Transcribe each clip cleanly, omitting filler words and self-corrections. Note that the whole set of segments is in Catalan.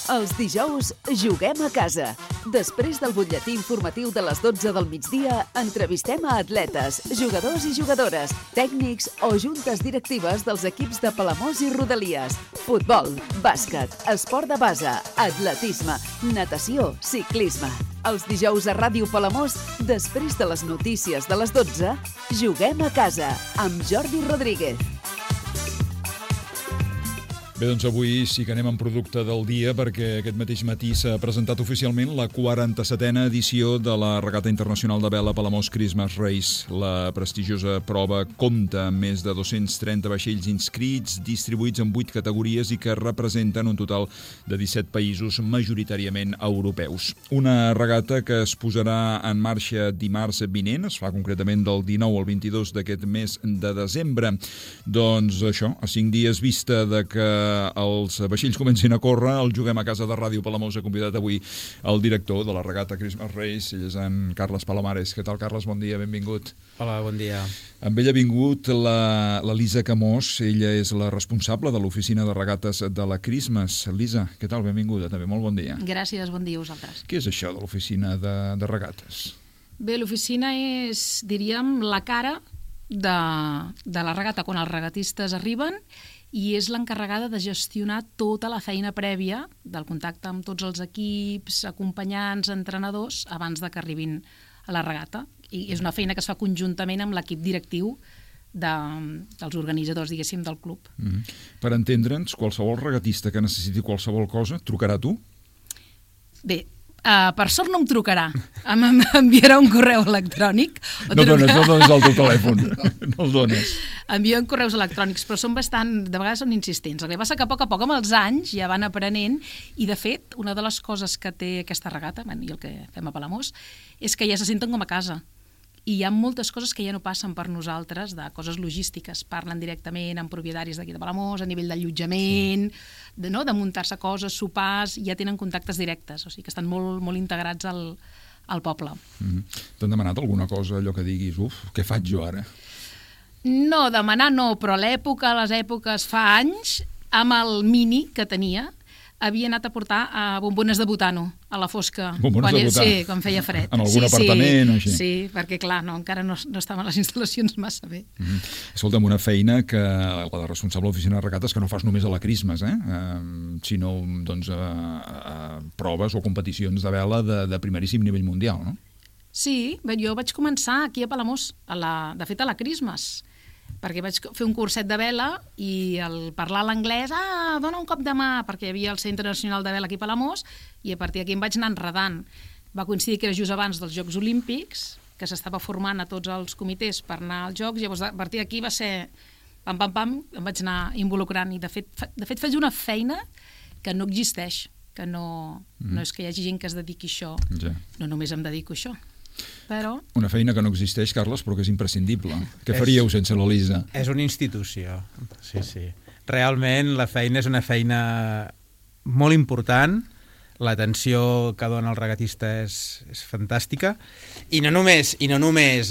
Els dijous juguem a casa. Després del butlletí informatiu de les 12 del migdia, entrevistem a atletes, jugadors i jugadores, tècnics o juntes directives dels equips de Palamós i Rodalies. Futbol, bàsquet, esport de base, atletisme, natació, ciclisme. Els dijous a Ràdio Palamós, després de les notícies de les 12, juguem a casa amb Jordi Rodríguez. Bé, doncs avui sí que anem en producte del dia perquè aquest mateix matí s'ha presentat oficialment la 47a edició de la Regata Internacional de Vela Palamós Christmas Race. La prestigiosa prova compta amb més de 230 vaixells inscrits, distribuïts en 8 categories i que representen un total de 17 països majoritàriament europeus. Una regata que es posarà en marxa dimarts vinent, es fa concretament del 19 al 22 d'aquest mes de desembre. Doncs això, a 5 dies vista de que els vaixells comencin a córrer, el Juguem a Casa de Ràdio Palamós ha convidat avui el director de la Regata Christmas Race, ell és en Carles Palomares. Què tal, Carles? Bon dia, benvingut. Hola, bon dia. Amb ell ha vingut la Lisa Camós, ella és la responsable de l'oficina de regates de la Christmas. Lisa, què tal? Benvinguda, també. Molt bon dia. Gràcies, bon dia a vosaltres. Què és això de l'oficina de regates? Bé, l'oficina és, diríem, la cara de la regata quan els regatistes arriben i és l'encarregada de gestionar tota la feina prèvia del contacte amb tots els equips, acompanyants, entrenadors, abans de que arribin a la regata. I és una feina que es fa conjuntament amb l'equip directiu dels organitzadors, diguéssim, del club. Per entendre'ns, qualsevol regatista que necessiti qualsevol cosa, trucarà a tu? Bé, per sort no em trucarà, m'enviarà un correu electrònic. No dones el teu telèfon, no el dones. Envien correus electrònics, però de vegades són insistents. El que passa que a poc amb els anys ja van aprenent i, de fet, una de les coses que té aquesta regata, i el que fem a Palamós, és que ja se senten com a casa. I hi ha moltes coses que ja no passen per nosaltres, de coses logístiques. Parlen directament amb propietaris d'aquí de Palamós, a nivell d'allotjament, de muntar-se coses, sopars, i ja tenen contactes directes, o sigui que estan molt, molt integrats al poble. T'han demanat alguna cosa, allò que diguis, què faig jo ara? No, demanar no, però les èpoques fa anys, amb el mini que tenia, havia anat a portar bombones de butano a la fosca. Bombones de butano? Sí, quan feia fred. En algun apartament o així? Sí, perquè clar, encara no estaven les instal·lacions massa bé. Escolta'm, una feina que la de responsable de l'oficina de regates que no fas només a la Christmas, sinó doncs, a proves o competicions de vela de primeríssim nivell mundial, no? Sí, jo vaig començar aquí a Palamós, de fet a la Christmas, perquè vaig fer un curset de vela i al parlar l'anglès, dona un cop de mà, perquè hi havia el Centre Nacional de Vela aquí a Palamós, i a partir d'aquí em vaig anar enredant. Va coincidir que era just abans dels Jocs Olímpics, que s'estava formant a tots els comitès per anar als Jocs, llavors a partir d'aquí va ser pam, em vaig anar involucrant, i de fet faig una feina que no existeix, que no és que hi hagi gent que es dediqui a això, no només em dedico a això. Però... Una feina que no existeix, Carles, però que és imprescindible. Què faríeu sense la Lisa? És una institució, sí. Realment la feina és una feina molt important, l'atenció que dona el regatista és fantàstica, i no només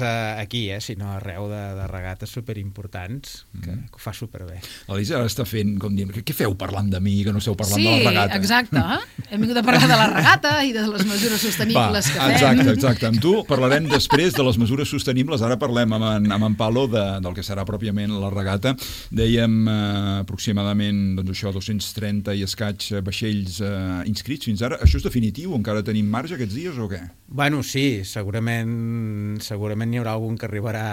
aquí, sinó arreu de regates superimportants, que ho fa superbé. La Lisa ara està fent, com dient, què feu parlant de mi, que no esteu parlant de la regata? Sí, exacte. Hem vingut a parlar de la regata i de les mesures sostenibles que fem. Exacte. Amb tu parlarem després de les mesures sostenibles. Ara parlem amb en Palo del que serà pròpiament la regata. Dèiem aproximadament 230 i escaig vaixells inscrits fins ara. Això és definitiu? Encara tenim marge aquests dies o què? Bueno, sí, segurament hi haurà algun que arribarà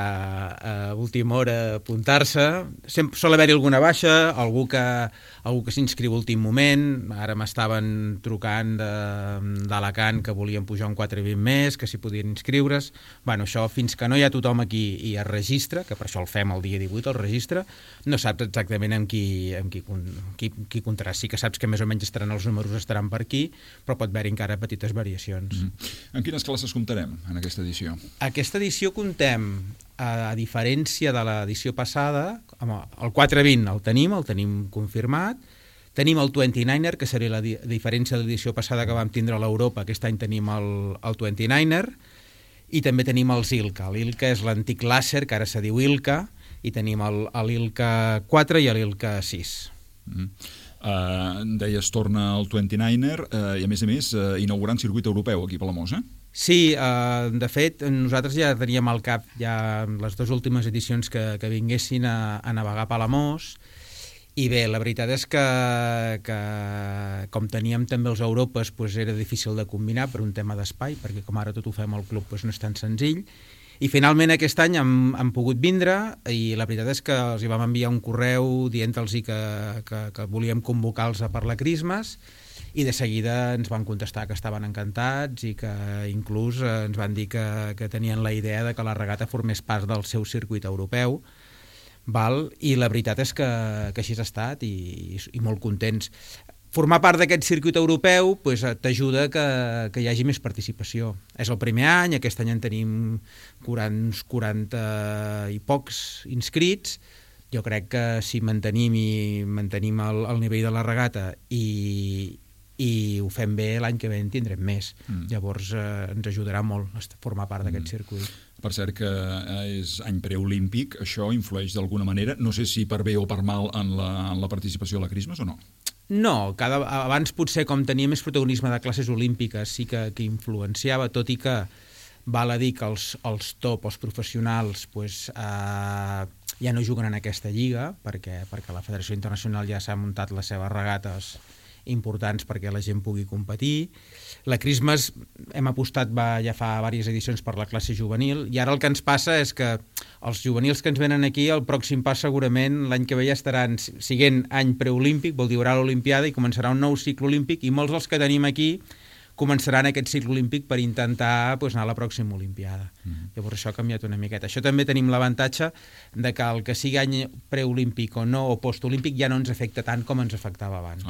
a última hora a apuntar-se. Sol haver-hi alguna baixa, algú que s'inscriu a últim moment. Ara m'estaven trucant d'Alacant que volien pujar un 4,20 més, que s'hi podien inscriure's. Bueno, això fins que no hi ha tothom aquí i es registra, que per això el fem el dia 18, el registre, no saps exactament amb qui comptaràs. Sí que saps que més o menys els números estaran per aquí, però pot haver-hi encara petites variacions. En quines classes comptarem en aquesta edició? Aquesta edició comptem, a diferència de l'edició passada, el 420 el tenim confirmat, tenim el 29er, que seria la diferència de l'edició passada que vam tindre a l'Europa, aquest any tenim el 29er, i també tenim els ILCA. L'ILCA és l'antic làser, que ara se diu ILCA, i tenim l'ILCA 4 i l'ILCA 6. Deies, torna el 29er i, a més, inaugurant circuit europeu aquí a Palamós, Sí, de fet, nosaltres ja teníem al cap ja les dues últimes edicions que vinguessin a navegar a Palamós, i bé, la veritat és que com teníem també els Europes, era difícil de combinar per un tema d'espai, perquè com ara tot ho fem al club no és tan senzill, i finalment aquest any han pogut vindre, i la veritat és que els hi vam enviar un correu dient-los que volíem convocar-los a per la Christmas, i de seguida ens van contestar que estaven encantats i que inclús ens van dir que tenien la idea de que la regata formés part del seu circuit europeu, i la veritat és que així ha estat i molt contents. Formar part d'aquest circuit europeu t'ajuda que hi hagi més participació. És el primer any, aquest any en tenim uns 40 i pocs inscrits. Jo crec que si mantenim el nivell de la regata i ho fem bé, l'any que ve en tindrem més. Llavors ens ajudarà molt a formar part d'aquest circuit. Per cert que és any preolímpic, això influeix d'alguna manera, no sé si per bé o per mal en la participació a la Christmas o no? No, abans potser com tenia més protagonisme de classes olímpiques sí que influenciava, tot i que val a dir que els top, els professionals, ja no juguen en aquesta lliga, perquè la Federació Internacional ja s'ha muntat les seves regates importants perquè la gent pugui competir. La Christmas hem apostat ja fa diverses edicions per la classe juvenil, i ara el que ens passa és que els juvenils que ens venen aquí, el pròxim pas segurament l'any que ve ja estaran siguent any preolímpic, vol dir haurà l'Olimpiada i començarà un nou cicle olímpic, i molts dels que tenim aquí començaran aquest cicle olímpic per intentar anar a la pròxima Olimpiada. Llavors això ha canviat una miqueta. Això també tenim l'avantatge de que el que sigui any preolímpic o no, o postolímpic, ja no ens afecta tant com ens afectava abans.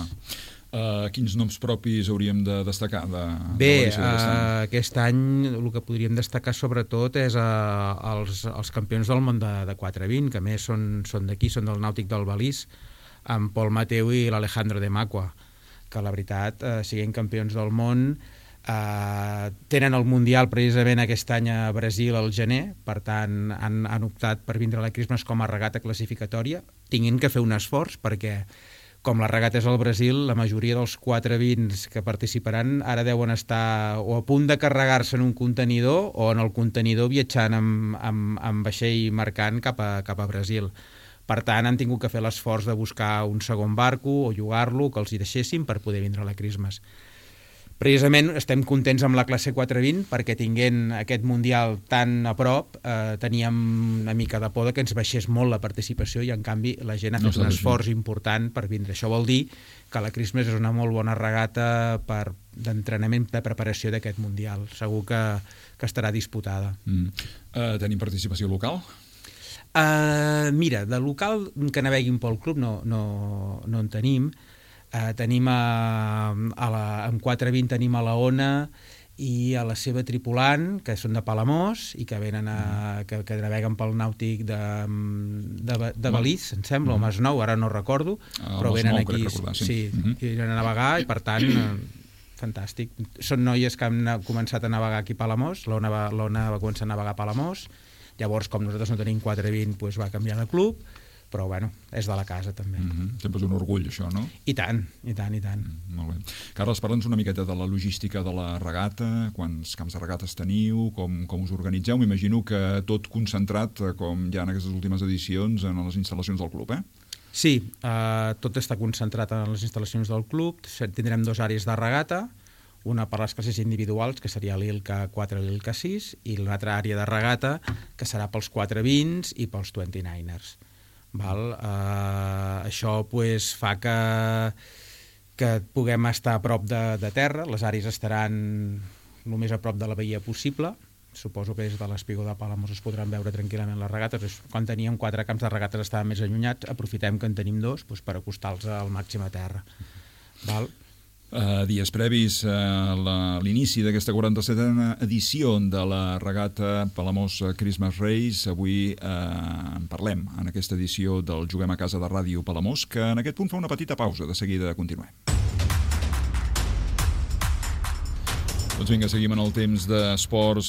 Quins noms propis hauríem de destacar? Bé, aquest any el que podríem destacar sobretot és els campions del món de 420, que a més són d'aquí, són del Nàutic del Balís, amb Pol Mateu i l'Alejandro de Macua, que la veritat, siguent campions del món, tenen el Mundial precisament aquest any a Brasil al gener, per tant han optat per vindre a la Christmas com a regata classificatòria, tinguin que fer un esforç perquè com la regata és al Brasil, la majoria dels 420 que participaran ara deuen estar o a punt de carregar-se en un contenidor o en el contenidor viatjant amb vaixell mercant cap a Brasil. Per tant, han tingut que fer l'esforç de buscar un segon barco o llogar-lo, que els hi deixessin per poder vindre a la Christmas. Precisament estem contents amb la classe 420 perquè tinguent aquest Mundial tan a prop teníem una mica de por que ens baixés molt la participació i en canvi la gent ha fet un esforç important per vindre. Això vol dir que la Christmas és una molt bona regata d'entrenament, de preparació d'aquest Mundial. Segur que estarà disputada. Tenim participació local? Mira, de local que naveguin pel club no en tenim. Tenim en 420 tenim a la Ona i a la seva tripulant, que són de Palamós i que venen que naveguen pel nàutic de Balís, em sembla, o Masnou, ara no recordo, però venen aquí, venen a navegar i per tant fantàstic. Són noies que han començat a navegar aquí a Palamós, l'Ona va començar a navegar a Palamós, llavors com nosaltres no tenim 420 va canviar de club, però bueno, és de la casa també. Sempre és un orgull això, no? I tant. Molt bé. Carles, parla'ns una miqueta de la logística de la regata, quants camps de regates teniu, com us organitzeu, m'imagino que tot concentrat, com ja en aquestes últimes edicions, en les instal·lacions del club, Sí, tot està concentrat en les instal·lacions del club, tindrem 2 àrees de regata, una per les classes individuals, que seria l'ILCA 4 i l'ILCA 6, i l'altra àrea de regata, que serà pels 420s i pels 29ers. Això fa que puguem estar a prop de terra, les àrees estaran el més a prop de la bahia possible, suposo que des de l'Espigó de Palamós es podran veure tranquil·lament les regates. Quan teníem 4 camps de regates estaven més allunyats, aprofitem que en tenim 2 per acostar-los al màxim a terra. Dies previs a l'inici d'aquesta 47a edició de la regata Palamós Christmas Race, avui en parlem en aquesta edició del Juguem a Casa de Ràdio Palamós, que en aquest punt fa una petita pausa, de seguida continuem. Doncs vinga, seguim en el temps d'esports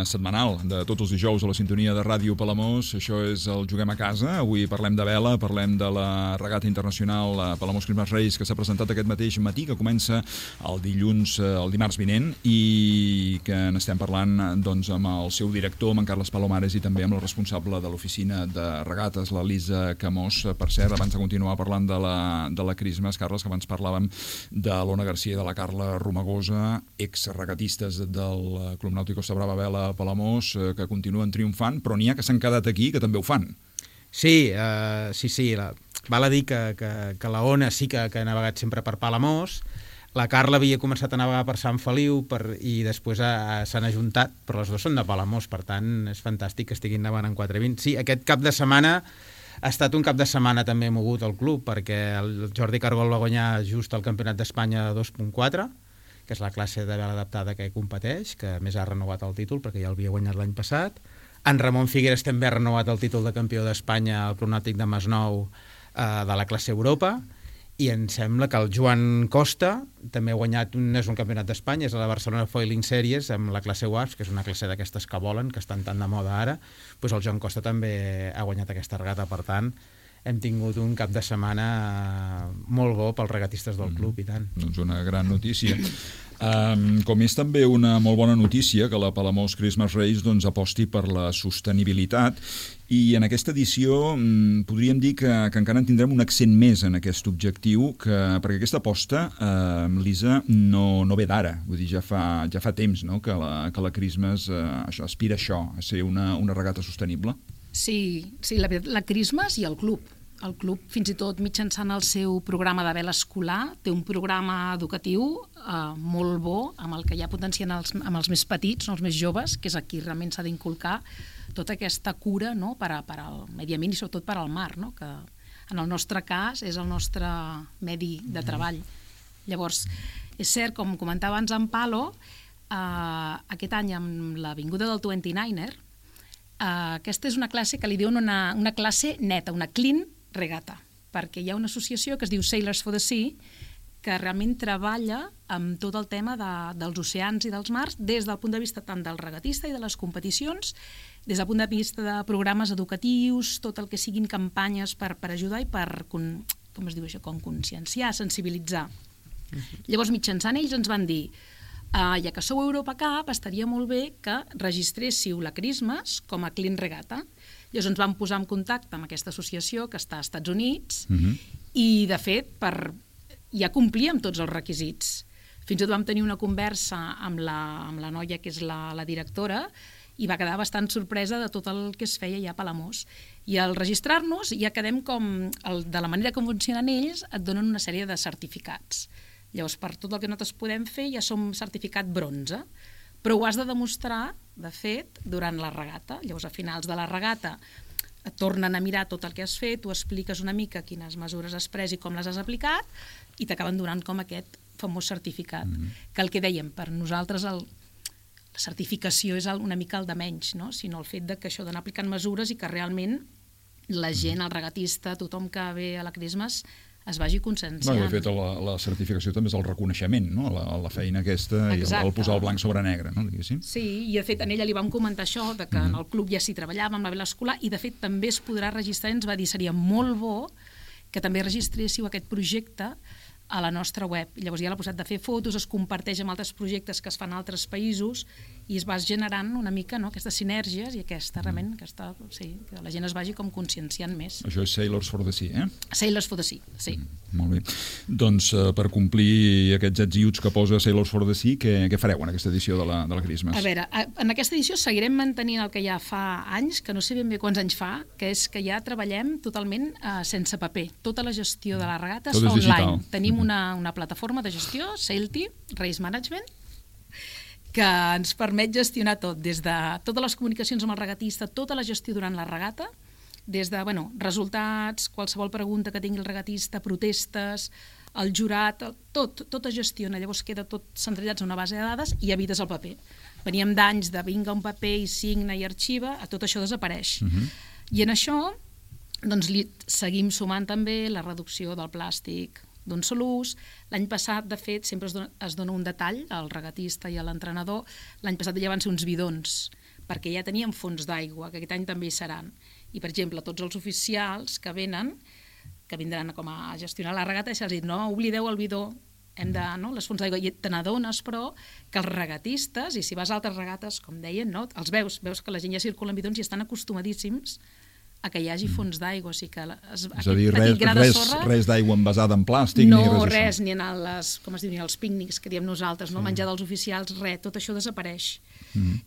setmanal, de tots els dijous a la sintonia de Ràdio Palamós. Això és el Juguem a Casa. Avui parlem de vela, parlem de la regata internacional Palamós Christmas Race, que s'ha presentat aquest mateix matí, que comença el dimarts vinent, i que n'estem parlant doncs, amb el seu director, amb en Carles Palomares, i també amb la responsable de l'oficina de regates, la Lisa Camós. Per cert, abans de continuar parlant de la Christmas, Carles, que abans parlàvem de l'Ona Garcia i de la Carla Romagosa, regatistes del Club Nàutic Costa Brava Vela Palamós, que continuen triomfant, però n'hi ha que s'han quedat aquí que també ho fan. Sí. Val a dir que la Ona sí que ha navegat sempre per Palamós. La Carla havia començat a navegar per Sant Feliu i després s'han ajuntat, però les dues són de Palamós, per tant és fantàstic que estiguin navegant en 420. Sí, aquest cap de setmana ha estat un cap de setmana també mogut al club, perquè el Jordi Cargol va guanyar just el Campionat d'Espanya 2.4, que és la classe de vela adaptada que competeix, que a més ha renovat el títol perquè ja l'havia guanyat l'any passat. En Ramon Figueres també ha renovat el títol de campió d'Espanya al Club Nàutic de Masnou de la classe Europa, i em sembla que el Joan Costa també ha guanyat, no és un campionat d'Espanya, és la Barcelona Foiling Series amb la classe WASP, que és una classe d'aquestes que volen, que estan tan de moda ara. Doncs el Joan Costa també ha guanyat aquesta regata, per tant hem tingut un cap de setmana molt bo pels regatistes del club, i tant. Doncs una gran notícia. Com és també una molt bona notícia que la Palamós Christmas Race doncs, aposti per la sostenibilitat, i en aquesta edició podríem dir que encara en tindrem un accent més en aquest objectiu, perquè aquesta aposta, Lisa, no ve d'ara. Vull dir, ja fa temps, no?, que la Christmas aspira a això, a ser una regata sostenible. Sí, la Christmas i el club. El club, fins i tot mitjançant el seu programa de vela escolar, té un programa educatiu molt bo, amb el que ja potencien amb els més petits, els més joves, que és aquí realment s'ha d'inculcar tota aquesta cura, no?, per al medi ambient i sobretot per al mar, no?, que en el nostre cas és el nostre medi de treball. Llavors, és cert, com comentava abans en Palo, aquest any amb la vinguda del 29er, aquesta és una classe que li diuen una classe neta, una clean regata, perquè hi ha una associació que es diu Sailors for the Sea, que realment treballa amb tot el tema dels oceans i dels mars des del punt de vista tant del regatista i de les competicions, des del punt de vista de programes educatius, tot el que siguin campanyes per ajudar i per, com es diu això, com conscienciar, sensibilitzar. Llavors, mitjançant ells ens van dir, ja que sou Europa Cup, estaria molt bé que registréssiu la Christmas com a clean regata. Llavors ens vam posar en contacte amb aquesta associació que està als Estats Units i, de fet, ja complíem tots els requisits. Fins i tot vam tenir una conversa amb la noia que és la directora i va quedar bastant sorpresa de tot el que es feia ja a Palamós. I al registrar-nos ja quedem com, de la manera com funcionen ells, et donen una sèrie de certificats. Llavors, per tot el que nosaltres podem fer, ja som certificat bronze, però ho has de demostrar, de fet, durant la regata. Llavors, a finals de la regata, et tornen a mirar tot el que has fet, tu expliques una mica quines mesures has pres i com les has aplicat, i t'acaben donant com aquest famós certificat. Que el que dèiem, per nosaltres la certificació és una mica el de menys, no? Sinó el fet que això d'anar aplicant mesures i que realment la gent, el regatista, tothom que ve a la Christmas es vagi conscienciant. De fet, la certificació també és el reconeixement, no?, a la feina aquesta. Exacte. I el posar el blanc sobre negre, no?, diguéssim. Sí, i de fet en ella li vam comentar això, que en el club ja s'hi treballava amb la vela escolar, i de fet també es podrà registrar, ens va dir, seria molt bo que també registréssiu aquest projecte a la nostra web. Llavors hi ha la possibilitat de fer fotos, es comparteix amb altres projectes que es fan a altres països i es va generant una mica, no?, aquestes sinergies i realment, que la gent es vagi com conscienciant més. Això és Sailors for the Sea, Sailors for the Sea, sí. Molt bé. Doncs per complir aquests ets i uts que posa Sailors for the Sea, què fareu en aquesta edició de la Christmas? A veure, en aquesta edició seguirem mantenint el que ja fa anys, que no sé ben bé quants anys fa, que és que ja treballem totalment sense paper. Tota la gestió de la regata és online. Digital. Tenim una plataforma de gestió, Sailty, Race Management, que ens permet gestionar tot, des de totes les comunicacions amb el regatista, tota la gestió durant la regata, des de resultats, qualsevol pregunta que tingui el regatista, protestes, el jurat, tot es gestiona. Llavors queda tot centralitzat en una base de dades i evites el paper. Veníem d'anys de vinga un paper i signa i arxiva, tot això desapareix. I en això doncs, seguim sumant també la reducció del plàstic, d'un sol ús. L'any passat, de fet, sempre es dona un detall al regatista i a l'entrenador. L'any passat ja van ser uns bidons, perquè ja teníem fons d'aigua, que aquest any també hi seran. I, per exemple, tots els oficials que vindran com a gestionar la regata, se'ls dit, no oblideu el bidó, les fonts d'aigua. I te n'adones, però, que els regatistes, i si vas a altres regates, com deien, no? Els veus que la gent ja circula en bidons i estan acostumadíssims a que hi hagi fons d'aigua. O sigui que és a dir, res d'aigua envasada en plàstic, no, ni res, ni en els pícnics que diem nosaltres, no? Menjar dels oficials, res, tot això desapareix.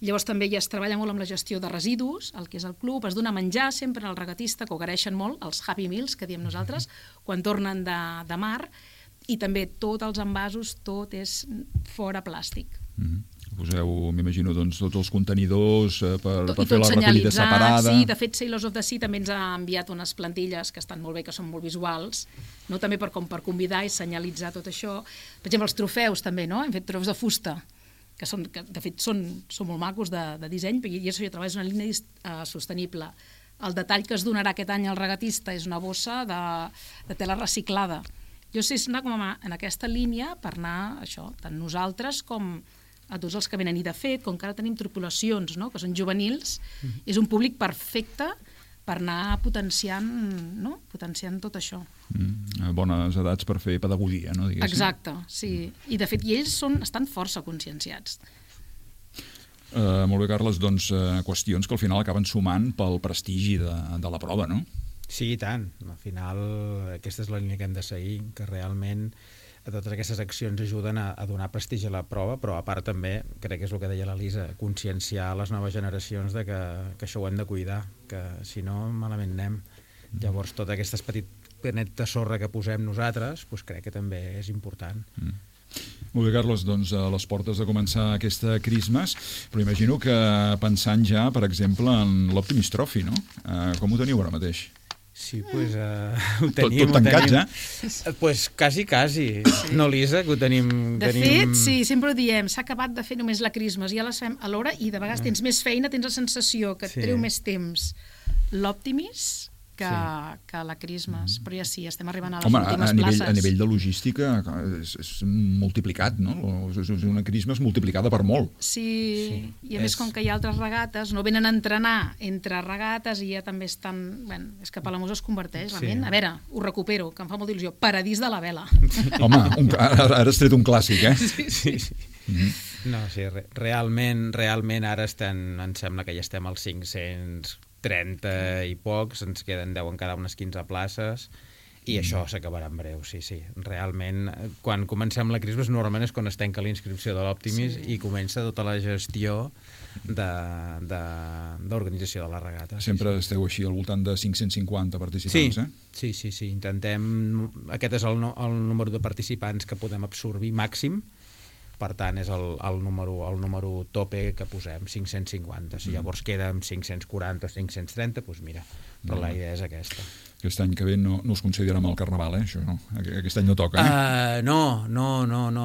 Llavors també ja es treballa molt amb la gestió de residus, el que és el club, es dona menjar sempre al regatista, que ho agraeixen molt, els Happy Meals, que diem nosaltres, quan tornen de mar, i també tots els envasos, tot és fora plàstic. Poseu, m'imagino, doncs, tots els contenidors per fer la recollida separada. Sí, de fet, Sailors of the Sea també ens ha enviat unes plantilles que estan molt bé, que són molt visuals, no? També per convidar i senyalitzar tot això. Per exemple, els trofeus també, no? Hem fet trofeus de fusta, que de fet són molt macos de disseny, i això ja treballa una línia sostenible. El detall que es donarà aquest any al regatista és una bossa de tela reciclada. Jo sé anar com en aquesta línia per anar, això, tant nosaltres com a tots els que venen. I de fet, com que ara tenim tripulacions, no?, que són juvenils, és un públic perfecte per anar potenciant tot això. Bones edats per fer pedagogia, no? Diguéssim. Exacte, sí. I de fet, ells estan força conscienciats. Molt bé, Carles, doncs qüestions que al final acaben sumant pel prestigi de la prova, no? Sí, i tant. Al final aquesta és la línia que hem de seguir, que realment totes aquestes accions ajuden a donar prestigi a la prova, però a part també, crec que és el que deia l'Elisa, conscienciar les noves generacions de que això ho hem de cuidar, que si no malament anem. Llavors tot aquest petit granet de sorra que posem nosaltres, doncs crec que també és important. Molt bé, Carles, doncs a les portes de començar aquesta Christmas, però imagino que pensant ja, per exemple, en l'Optimus Trophy, no? Com ho teniu ara mateix? Sí, doncs ho tenim. Tot tancats, Doncs quasi. No, Lisa, que ho tenim... De fet, sí, sempre ho diem, s'ha acabat de fer només la Christmas, ja les fem a l'hora i de vegades tens més feina, tens la sensació que et treu més temps l'Optimus que la Christmas, però ja sí, estem arribant a les últimes places. A nivell de logística és multiplicat, no? És una Christmas multiplicada per molt. Sí, i a més com que hi ha altres regates, no venen a entrenar entre regates i ja també estan... Bueno, és que Palamós es converteix, realment. A veure, ho recupero, que em fa molta il·lusió. Paradís de la vela. Home, ara has tret un clàssic, eh? Sí. No, sí, realment ara em sembla que ja estem als 530 i pocs, ens queden 10 en cada unes 15 places i això s'acabarà en breu, sí. Realment, quan comencem la Christmas normalment és quan es tanca la inscripció de l'Optimus i comença tota la gestió d'organització de la regata. Sempre esteu així al voltant de 550 participants, eh? Sí, intentem... Aquest és el número de participants que podem absorbir màxim. Per tant, és el número tope que posem, 550. Si llavors queda amb 540 o 530, doncs mira, però la idea és aquesta. Aquest any que ve no us considerem el Carnaval, això no? Aquest any no toca, eh? No.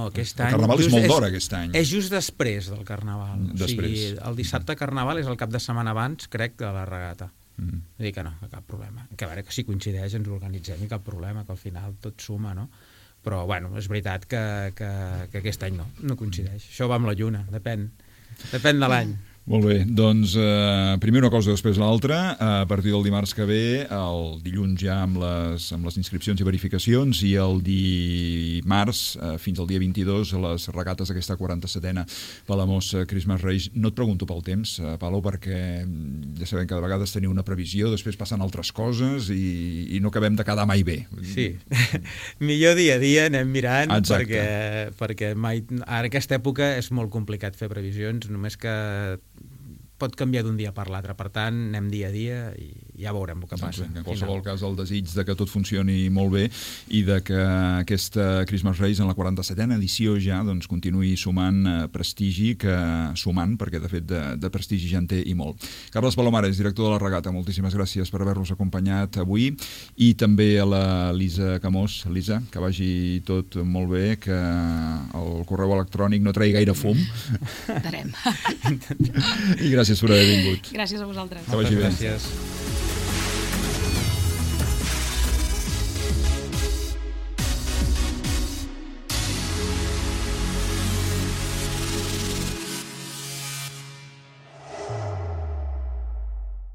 Aquest any... El Carnaval és molt d'hora, aquest any. És just després del Carnaval. Després. O sigui, el dissabte Carnaval és el cap de setmana abans, crec, de la regata. Vull dir que no, cap problema. Que a veure, que si coincideix ens organitzem i cap problema, que al final tot suma, no? Però, bueno, és veritat que aquest any no coincideix. Això va amb la lluna, depèn de l'any. Molt bé, doncs primer una cosa, després l'altra. A partir del dimarts que ve, el dilluns ja amb les inscripcions i verificacions, i el dimarts fins al dia 22 les regates d'aquesta 47a Palamós Christmas Race. No et pregunto pel temps, Palau, perquè ja sabem que de vegades teniu una previsió, després passen altres coses i no acabem de quedar mai bé. Sí, millor dia a dia anem mirant. Exacte. perquè mai, ara aquesta època és molt complicat fer previsions, només que pot canviar d'un dia per l'altre, per tant anem dia a dia i ja veurem el que passa. En qualsevol cas, el desig de que tot funcioni molt bé i de que aquesta Christmas Race en la 47a edició ja doncs, continuï sumant prestigi, perquè de fet de prestigi ja en té i molt. Carles Palomares, director de la regata, moltíssimes gràcies per haver-nos acompanyat avui, i també a la Lisa Camós. Lisa, que vagi tot molt bé, que el correu electrònic no tregui gaire fum. Darem. I gràcies per haver vingut. Gràcies a vosaltres. Que vagi bé. Gràcies.